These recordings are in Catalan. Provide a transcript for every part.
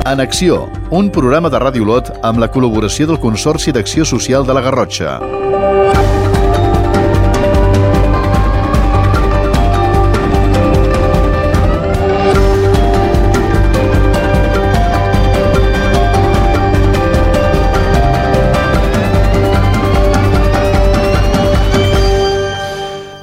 En Acció, un programa de Ràdio Olot amb la col·laboració del Consorci d'Acció Social de la Garrotxa.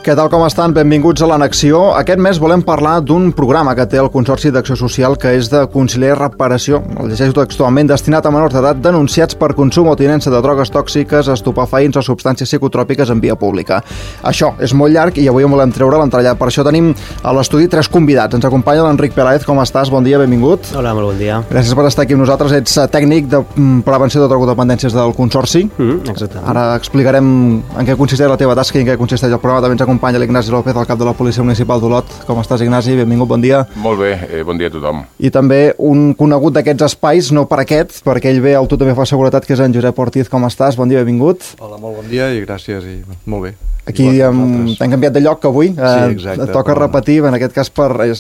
Què tal, com estan? Benvinguts a l'Anacció. Aquest mes volem parlar d'un programa que té el Consorci d'Acció Social que és de conciliar i reparació, el llegeixo textualment, destinat a menors d'edat denunciats per consum o tinença de drogues tòxiques, estupefaents o substàncies psicotròpiques en via pública. Això és molt llarg i avui en volem treure l'entrellat. Per això tenim a l'estudi 3 convidats. Ens acompanya l'Enric Peláez. Com estàs? Bon dia, benvingut. Hola, molt bon dia. Gràcies per estar aquí amb nosaltres. Ets tècnic de prevenció de drogodependències del Consorci. Exactament. Ara explicarem en què consisteix la teva tasca i en què consisteix el programa. També ens acompanya l'Ignasi López, el cap de la Policia Municipal d'Olot. Com estàs, Ignasi? Benvingut, bon dia. Molt bé, bon dia a tothom. I també un conegut d'aquests espais, no per aquest, perquè ell ve al Tu també fa seguretat, que és en Josep Ortiz. Com estàs? Bon dia, benvingut. Hola, molt bon dia i gràcies i molt bé. Aquí t'hem canviat de lloc avui. Sí, exacte. Toca repetir, en aquest cas,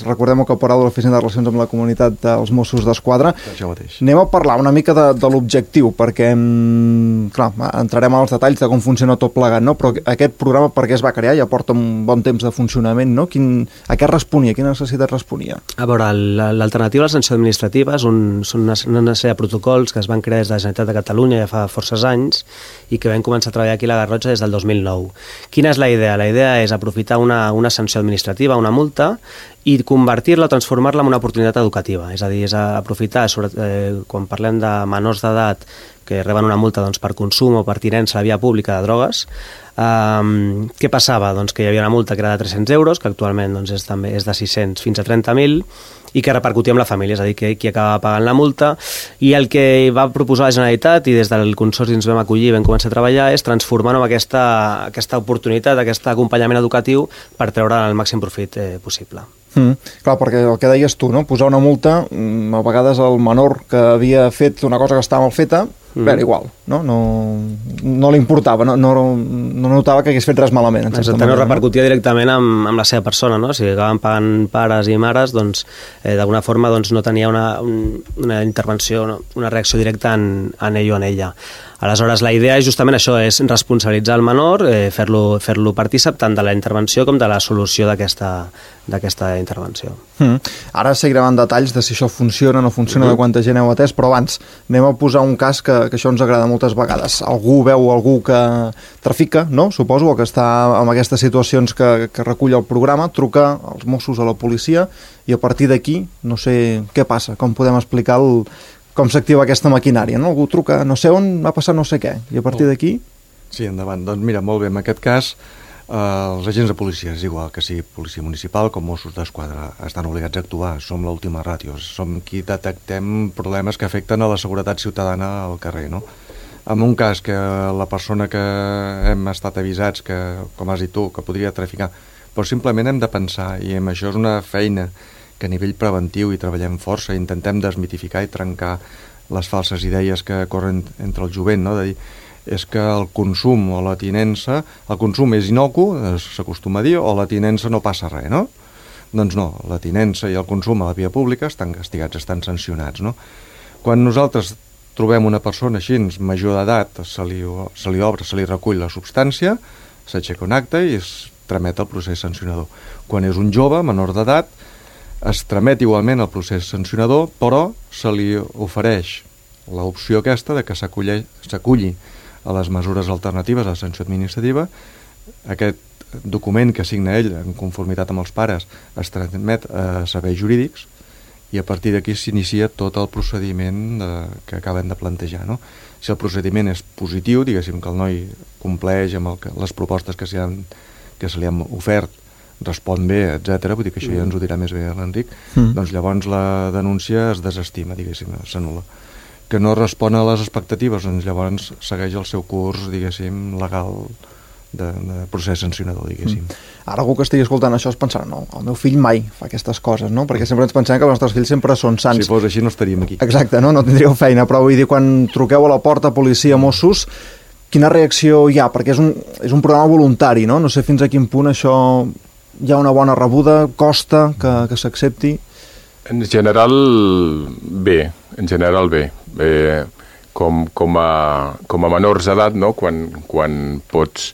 recordem el caporal de l'Oficina de Relacions amb la Comunitat dels Mossos d'Esquadra. Això mateix. Anem a parlar una mica de l'objectiu, perquè, clar, entrarem als detalls de com funciona tot plegat, no? Però aquest programa per què es va crear? Ja porta un bon temps de funcionament, no? A què responia? A quina necessitat responia? A veure, l'alternativa a la sanció administrativa són una sèrie de protocols que es van crear des de la Generalitat de Catalunya ja fa forces anys i que vam començar a treballar aquí a la Garrotxa des del 2009. Quina és la idea? La idea és aprofitar una sanció administrativa, una multa, i convertir-la o transformar-la en una oportunitat educativa. És a dir, és aprofitar, quan parlem de menors d'edat que reben una multa per consum o per tinença a la via pública de drogues, què passava? Doncs que hi havia una multa que era de 300 euros, que actualment és de 600 fins a 30.000, i que repercutia amb la família, és a dir, qui acaba pagant la multa. I el que va proposar la Generalitat, i des del Consorci ens vam acollir i vam començar a treballar, és transformar-ho en aquesta oportunitat, aquest acompanyament educatiu per treure el màxim profit possible. Clar, perquè el que deies tu, no? Posar una multa, a vegades el menor que havia fet una cosa que estava mal feta, era igual, no li importava, no notava que hagués fet res malament. Exactament, no repercutia directament amb la seva persona, no? Si acaben pagant pares i mares, d'alguna forma no tenia una intervenció, una reacció directa en ell o en ella. Aleshores, la idea és justament això, és responsabilitzar el menor, fer-lo partícip tant de la intervenció com de la solució d'aquesta intervenció. Ara seguirem en detalls de si això funciona o no funciona, de quanta gent heu atès, però abans anem a posar un cas que això ens agrada moltes vegades. Algú veu algú que trafica, no? Suposo, o que està en aquestes situacions que recull el programa, truca als Mossos, a la policia, i a partir d'aquí, no sé què passa, com podem explicar com s'activa aquesta maquinària, no? Algú truca, no sé on va passar no sé què, i a partir d'aquí... Sí, endavant. Doncs mira, molt bé, en aquest cas els agents de policia, és igual que sigui policia municipal com Mossos d'Esquadra, estan obligats a actuar, som l'última ràtio, som qui detectem problemes que afecten a la seguretat ciutadana al carrer, no? En un cas que la persona que hem estat avisats, que, com has dit tu, que podria traficar, però simplement hem de pensar, i amb això és una feina que a nivell preventiu hi treballem força, intentem desmitificar i trencar les falses idees que corren entre el jovent, no? De dir, és que el consum o la tinença, el consum és inocu, s'acostuma a dir, o la tinença no passa res, no? Doncs no, la tinença i el consum a la via pública estan castigats, estan sancionats, no? Quan nosaltres trobem una persona així, major d'edat, se li obre, se li recull la substància, s'aixeca un acte i es tramet el procés sancionador. Quan és un jove, menor d'edat, es tramet igualment el procés sancionador, però se li ofereix l'opció aquesta de que s'aculli a les mesures alternatives a la sanció administrativa. Aquest document que signa ell en conformitat amb els pares es tramet a serveis jurídics i a partir d'aquí s'inicia tot el procediment que acabem de plantejar, no? Si el procediment és positiu, diguéssim que el noi compleix amb les propostes que se li han ofert, respon bé, etc. Vull dir que això ja ens ho dirà més bé l'Enric, doncs llavors la denúncia es desestima, diguéssim, s'anul·la. Que no respon a les expectatives, doncs llavors segueix el seu curs, diguéssim, legal de procés sancionador, diguéssim. Ara algú que estigui escoltant això es pensarà, no, el meu fill mai fa aquestes coses, no? Perquè sempre ens pensem que els nostres fills sempre són sants. Si fos així no estaríem aquí. Exacte, no tindríeu feina, però vull dir, quan truqueu a la porta, policia, Mossos, quina reacció hi ha? Perquè és un programa voluntari, no? No sé fins a quin punt això hi ha una bona rebuda, costa que s'accepti? En general, bé. en general bé. Com a menors d'edat, no? Quan pots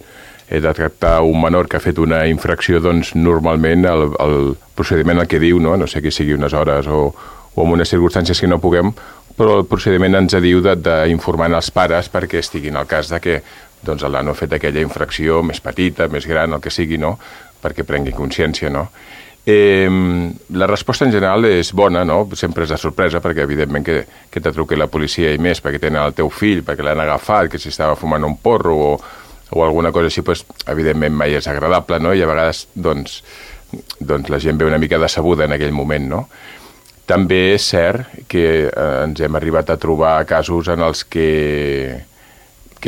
detectar un menor que ha fet una infracció, doncs normalment el procediment el que diu, no sé que sigui unes hores o en unes circumstàncies que no puguem, però el procediment ens diu d'informar els pares perquè estiguin al cas de que doncs, el nano ha fet aquella infracció més petita, més gran, el que sigui, no? Perquè prengui consciència, no? La resposta en general és bona, no? Sempre és de sorpresa perquè evidentment que te truqui la policia i més perquè tenen el teu fill, perquè l'han agafat, que si estava fumant un porro o alguna cosa així, doncs, evidentment mai és agradable, no? I a vegades doncs la gent ve una mica decebuda en aquell moment, no? També és cert que ens hem arribat a trobar casos en els que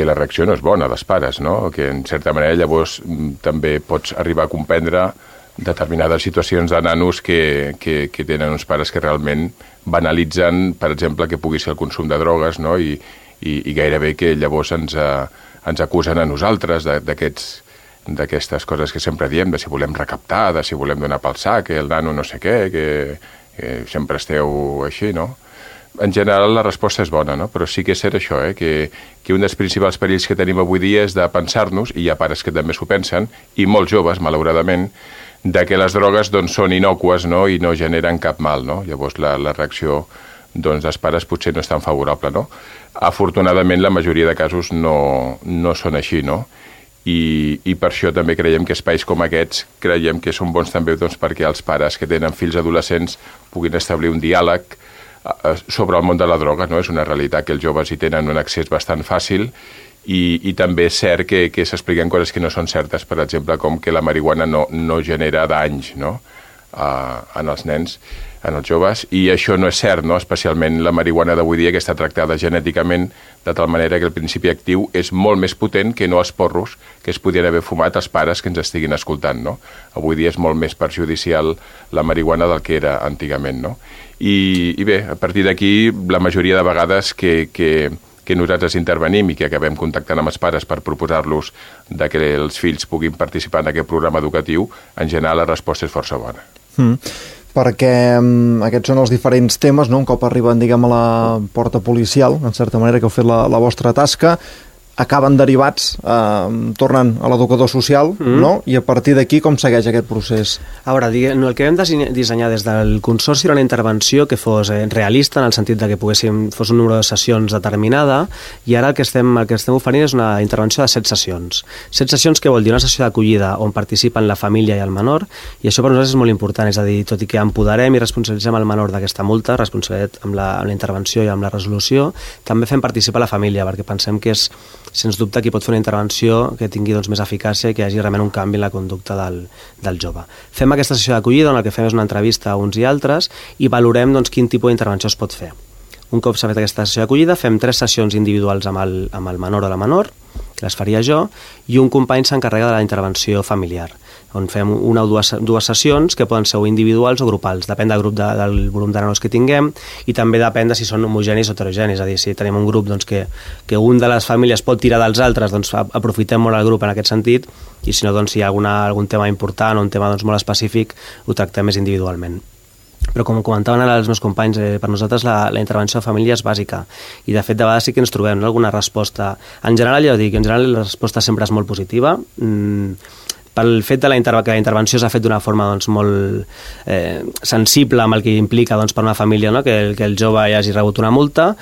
la reacció no és bona dels pares, no? Que en certa manera llavors també pots arribar a comprendre determinades situacions de nanos que tenen uns pares que realment banalitzen, per exemple, que pugui ser el consum de drogues, no? I gairebé que llavors ens acusen a nosaltres d'aquestes coses que sempre diem, de si volem recaptar, de si volem donar pel sac, que el nano no sé què, que sempre esteu així, no? En general la resposta és bona, no? Però sí que és cert això, que un dels principals perills que tenim avui dia és de pensar-nos, i hi ha pares que també s'ho pensen, i molts joves, malauradament, de que les drogues doncs, són innocues, no? I no generen cap mal, no? Llavors la reacció doncs, dels pares potser no és tan favorable, no? Afortunadament la majoria de casos no són així, no? I per això també creiem que espais com aquests creiem que són bons també doncs, perquè els pares que tenen fills adolescents puguin establir un diàleg sobre el món de la droga, no? És una realitat que els joves hi tenen un accés bastant fàcil i també és cert que s'expliquen coses que no són certes, per exemple, com que la marihuana no genera danys, no? En els nens, en els joves, i això no és cert, no? Especialment la marihuana d'avui dia, que està tractada genèticament de tal manera que el principi actiu és molt més potent que no els porros que es podien haver fumat els pares que ens estiguin escoltant, no? Avui dia és molt més perjudicial la marihuana del que era antigament, no? I bé, a partir d'aquí, la majoria de vegades que nosaltres intervenim i que acabem contactant amb els pares per proposar-los que els fills puguin participar en aquest programa educatiu, en general la resposta és força bona. Perquè aquests són els diferents temes, no? Un cop arriben, diguem, a la porta policial, en certa manera, que heu fet la vostra tasca, acaben derivats, tornen a l'educador social, no? I a partir d'aquí com segueix aquest procés? A veure, el que vam dissenyar des del Consorci era una intervenció que fos realista, en el sentit de que fos un número de sessions determinada, i ara el que estem oferint és una intervenció de 7 sessions. 7 sessions que vol dir una sessió d'acollida on participen la família i el menor, i això per nosaltres és molt important, és a dir, tot i que empoderem i responsabilitzem el menor d'aquesta multa, responsabilitat amb la intervenció i amb la resolució, també fem participar la família, perquè pensem que és sens dubte qui pot fer una intervenció que tingui doncs, més eficàcia i que hi hagi realment un canvi en la conducta del jove. Fem aquesta sessió d'acollida on el que fem és una entrevista a uns i altres i valorem doncs, quin tipus d'intervenció es pot fer. Un cop s'ha fet aquesta sessió d'acollida fem 3 sessions individuals amb el menor o la menor, que les faria jo, i un company s'encarrega de la intervenció familiar, on fem una o dues sessions que poden ser individuals o grupals, depèn del grup del volum de nanos que tinguem, i també depèn de si són homogenis o heterogenis, és a dir, si tenim un grup doncs, que un de les famílies pot tirar dels altres, doncs aprofitem molt el grup en aquest sentit, i si no, doncs, si hi ha algun tema important o un tema doncs, molt específic, ho tractem més individualment. Però com comentaven ara els meus companys, per nosaltres la intervenció de família és bàsica i de fet de vegades sí que ens trobem alguna resposta. En general, ja ho dic, la resposta sempre és molt positiva, pel fet que la intervenció s'ha fet d'una forma doncs, molt sensible amb el que implica doncs, per una família, no? que el jove hi hagi rebut una multa,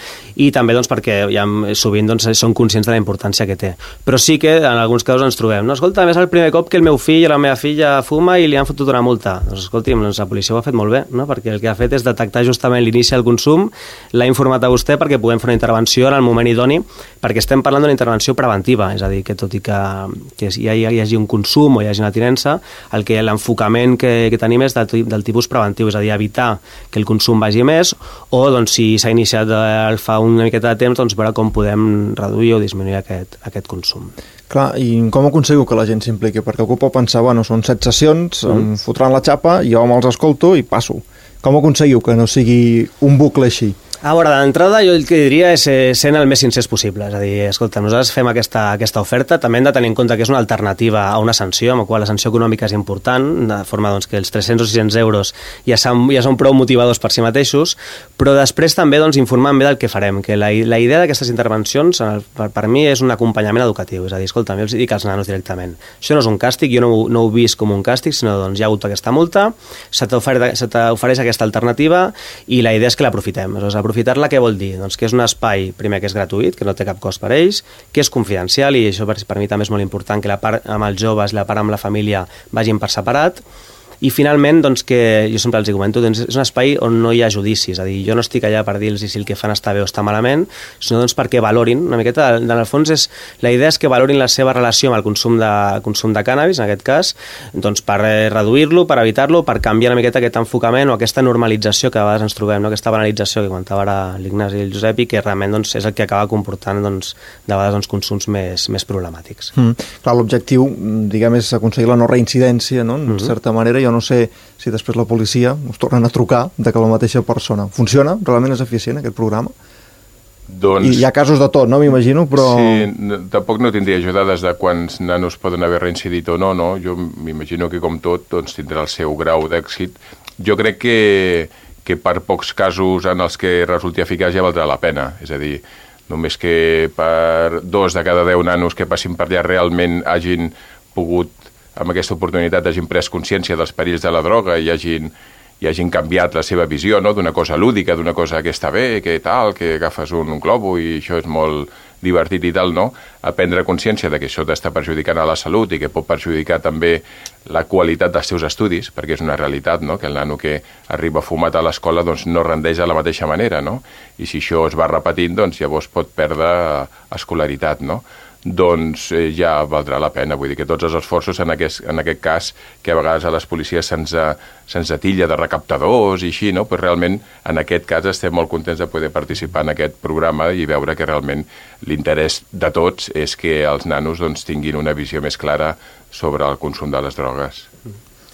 i també doncs, perquè ja, sovint doncs, són conscients de la importància que té. Però sí que en alguns casos ens trobem, no? Escolta, és el primer cop que el meu fill o la meva filla fuma i li han fotut una multa. Doncs escolti'm, la policia ho ha fet molt bé, no? Perquè el que ha fet és detectar justament l'inici del consum, l'ha informat a vostè perquè puguem fer una intervenció en el moment idoni, perquè estem parlant d'una intervenció preventiva, és a dir, que tot i que hi hagi un consum o hi hagi una tinença, l'enfocament que tenim és del tipus preventiu, és a dir, evitar que el consum vagi més, o doncs, si s'ha iniciat fa una miqueta de temps, doncs veure com podem reduir o disminuir aquest consum. Clar, i com aconseguiu que la gent s'impliqui? Perquè algú pot pensar, bueno, són 7 sessions, em fotran la xapa, jo me'ls escolto i passo. Com aconseguiu que no sigui un bucle així? A veure, d'entrada jo el que diria és sent el més sincers possible, és a dir, escolta, nosaltres fem aquesta oferta, també hem de tenir en compte que és una alternativa a una sanció, amb la qual la sanció econòmica és important, de forma doncs, que els 300 o 600 euros ja són prou motivadors per si mateixos, però després també doncs, informar bé del que farem, que la idea d'aquestes intervencions per mi és un acompanyament educatiu, és a dir, escolta, jo els dic als nanos directament, això no és un càstig, jo no ho vist com un càstig, sinó doncs hi ha hagut aquesta multa, se t'ofereix aquesta alternativa i la idea és que l'aprofitem, aprofitar-la què vol dir? Doncs que és un espai, primer, que és gratuït, que no té cap cost per ells, que és confidencial i això per mi també és molt important, que la part amb els joves i la part amb la família vagin per separat. I finalment, doncs, que jo sempre els comento, doncs, és un espai on no hi ha judicis, és a dir, jo no estic allà per dir-los si el que fan està bé o està malament, sinó doncs, perquè valorin, una miqueta, en el fons la idea és que valorin la seva relació amb el consum de cànnabis, en aquest cas, doncs, per reduir-lo, per evitar-lo, per canviar una miqueta aquest enfocament o aquesta normalització que a vegades ens trobem, no? Aquesta banalització que comentava ara l'Ignasi i el Josep i que realment doncs, és el que acaba comportant doncs, de vegades doncs, consums més problemàtics. Clar, l'objectiu, diguem, és aconseguir la no reincidència, no? En certa manera, jo no sé si després la policia us tornen a trucar de que la mateixa persona funciona, realment és eficient aquest programa? Doncs... I hi ha casos de tot, no? M'imagino, però... Sí, tampoc no tindria ajuda des de quants nanos poden haver reincidit o no, no? Jo m'imagino que com tot doncs, tindrà el seu grau d'èxit. Jo crec que per pocs casos en els que resulti eficaç ja valdrà la pena, és a dir, només que per 2 de cada 10 nanos que passin per allà realment hagin pogut amb aquesta oportunitat hagin pres consciència dels perills de la droga i hagin canviat la seva visió, no? D'una cosa lúdica, d'una cosa que està bé, que tal, que agafes un globo i això és molt divertit i tal, no? A prendre consciència de que això t'està perjudicant a la salut i que pot perjudicar també la qualitat dels teus estudis, perquè és una realitat, no? Que el nano que arriba fumat a l'escola doncs, no rendeix de la mateixa manera, no? I si això es va repetint, doncs llavors pot perdre escolaritat, no? Doncs ja valdrà la pena. Vull dir que tots els esforços en aquest cas, que a vegades a les policies se'ns atilla de recaptadors i així, no? Però realment en aquest cas estem molt contents de poder participar en aquest programa i veure que realment l'interès de tots és que els nanos doncs, tinguin una visió més clara sobre el consum de les drogues.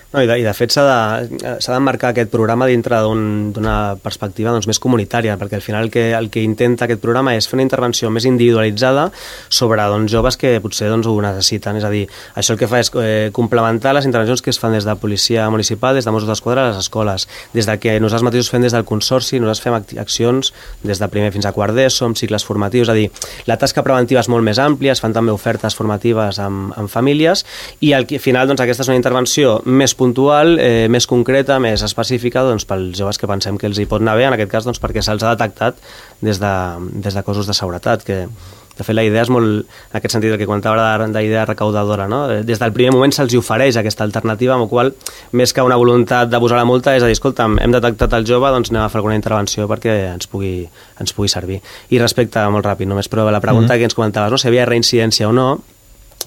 No, i de fet s'ha d'emmarcar aquest programa dintre d'una perspectiva doncs, més comunitària, perquè al final el que intenta aquest programa és fer una intervenció més individualitzada sobre doncs, joves que potser doncs, ho necessiten. És a dir, això el que fa és complementar les intervencions que es fan des de policia municipal, des de Mossos d'Esquadra a les escoles, des de que nosaltres mateixos fem des del Consorci, nosaltres fem accions des de primer fins a quart d'ESO, amb cicles formatius, és a dir, la tasca preventiva és molt més àmplia, es fan també ofertes formatives amb famílies i al final doncs, aquesta és una intervenció més puntual, més concreta, més específica doncs, pels joves que pensem que els hi pot anar bé, en aquest cas doncs, perquè se'ls ha detectat des de cossos de seguretat, que de fet la idea és molt, en aquest sentit el que comentava d'idea recaudadora, no? Des del primer moment se'ls ofereix aquesta alternativa, amb la qual més que una voluntat de posar la multa és a dir, escolta, hem detectat el jove, doncs anem a fer alguna intervenció perquè ens pugui servir. I respecte, molt ràpid, només però la pregunta que ens comentaves, no? Si havia reincidència o no.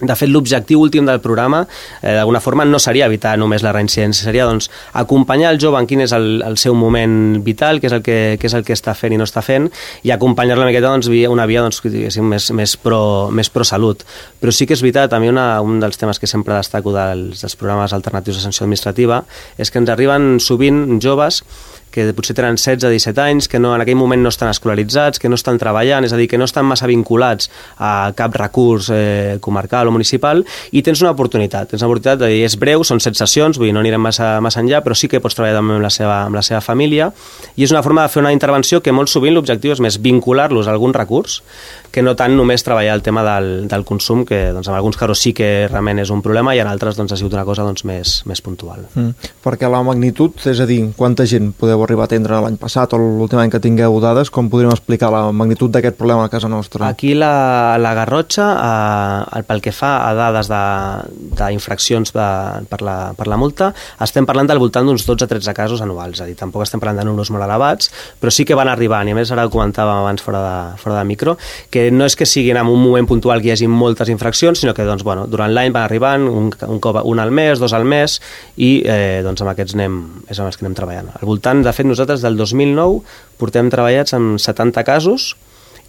De fet, l'objectiu últim del programa, d'alguna forma, no seria evitar només la reincidència, seria doncs, acompanyar el jove en quin és el seu moment vital, què és el que està fent i no està fent, i acompanyar-lo una miqueta doncs, una via doncs, més pro salut. Però sí que és veritat, a mi un dels temes que sempre destaco dels programes alternatius de sanció administrativa és que ens arriben sovint joves que potser tenen 16-17 anys, que en aquell moment no estan escolaritzats, que no estan treballant, és a dir, que no estan massa vinculats a cap recurs comarcal o municipal, i tens una oportunitat de dir, és breu, són 7 sessions, vull dir, no anirem massa enllà, però sí que pots treballar també amb la seva família, i és una forma de fer una intervenció que molt sovint l'objectiu és més vincular-los a algun recurs, que no tant només treballar el tema del consum, que doncs, en alguns casos sí que realment és un problema, i en altres doncs, ha sigut una cosa doncs, més puntual. Perquè la magnitud, és a dir, quanta gent podeu arribar a atendre l'any passat o l'últim any que tingueu dades, com podríem explicar la magnitud d'aquest problema a casa nostra? Aquí la Garrotxa, pel que fa a dades d'infraccions per la multa, estem parlant del voltant d'uns 12-13 casos anuals, és a dir, tampoc estem parlant de números molt elevats, però sí que van arribant, i a més ara ho comentàvem abans fora de micro, que no és que siguin en un moment puntual que hi hagi moltes infraccions, sinó que doncs, bueno, durant l'any van arribant un al mes, 2 al mes, i doncs amb aquests és amb els que anem treballant. Al voltant, de fet, nosaltres del 2009 portem treballats amb 70 casos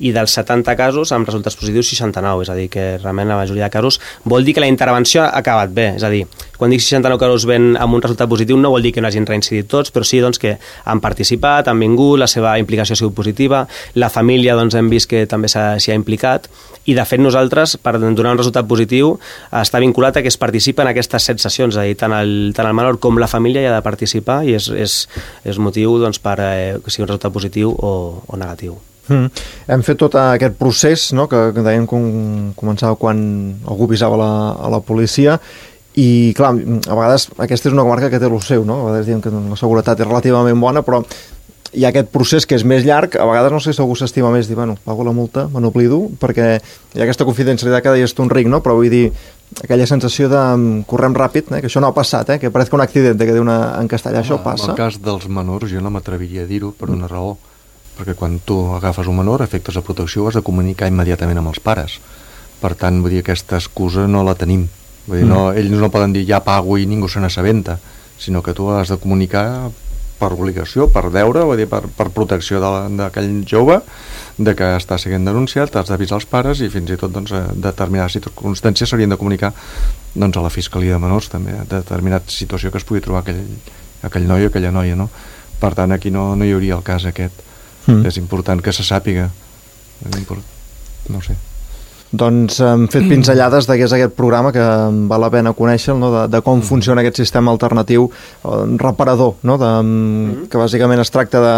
i dels 70 casos amb resultats positius 69, és a dir, que realment la majoria de casos vol dir que la intervenció ha acabat bé, és a dir, quan dic 69 casos ven amb un resultat positiu no vol dir que no hagin reincidit tots, però sí doncs, que han participat, han vingut, la seva implicació ha sigut positiva, la família doncs, hem vist que també s'hi ha implicat, i de fet nosaltres, per donar un resultat positiu, està vinculat a que es participa en aquestes 7 sessions, és a dir, tant el menor com la família hi ha de participar i és motiu doncs, per que sigui un resultat positiu o negatiu. Hem fet tot aquest procés, no?, que dèiem que començava quan algú avisava a la policia, i clar, a vegades aquesta és una comarca que té el seu, no? A vegades diem que la seguretat és relativament bona, però hi ha aquest procés que és més llarg. A vegades no sé si algú s'estima més dir, bueno, pago la multa, me n'oblido, perquè hi ha aquesta confidencialitat que deies tu, Enric, no? Però vull dir, aquella sensació de correm ràpid, que això no ha passat, que pareix que un accident, que diu en castellà, això passa. En el cas dels menors jo no m'atreviria a dir-ho per una raó, perquè quan tu agafes un menor, efectes de protecció, has de comunicar immediatament amb els pares. Per tant, vull dir, aquesta excusa no la tenim. Vull dir, no, ells no poden dir ja pago i ningú se n'assabenta, sinó que tu has de comunicar per obligació, per deure, vull dir, per protecció d'aquell jove, de que està sent denunciat, has d'avisar els pares i fins i tot doncs, determinades circumstàncies s'haurien de comunicar doncs, a la Fiscalia de Menors també, determinada situació que es pugui trobar aquell noi o aquella noia, no? Per tant, aquí no hi hauria el cas aquest. És important que se sàpiga. No sé. Doncs hem fet pinzellades de què és aquest programa, que val la pena conèixer, no? de com funciona aquest sistema alternatiu reparador, no? Que bàsicament es tracta de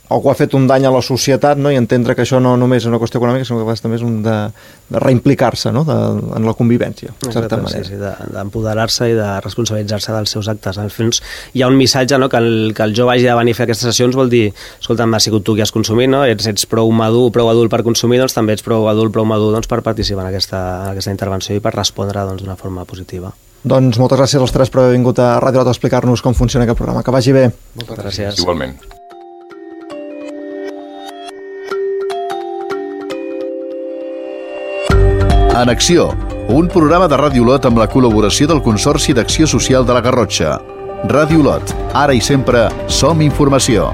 algú ha fet un dany a la societat, no? I entendre que això no només és una qüestió econòmica, sinó que també és de reimplicar-se, no? En la convivència, de certa manera. Sí, d'empoderar-se i de responsabilitzar-se dels seus actes. Al fons hi ha un missatge, no? que el jove hagi de venir a fer aquestes sessions vol dir, escolta, m'ha sigut tu qui has consumit, no? Ets prou madur, prou adult per consumir, doncs també ets prou adult, prou madur doncs, per participar en aquesta intervenció i per respondre doncs, d'una forma positiva. Doncs moltes gràcies als tres per haver vingut a Ràdio Lot a explicar-nos com funciona aquest programa. Que vagi bé. Moltes gràcies. Igualment. En Acció, un programa de Ràdio Lot amb la col·laboració del Consorci d'Acció Social de la Garrotxa. Ràdio Lot, ara i sempre som informació.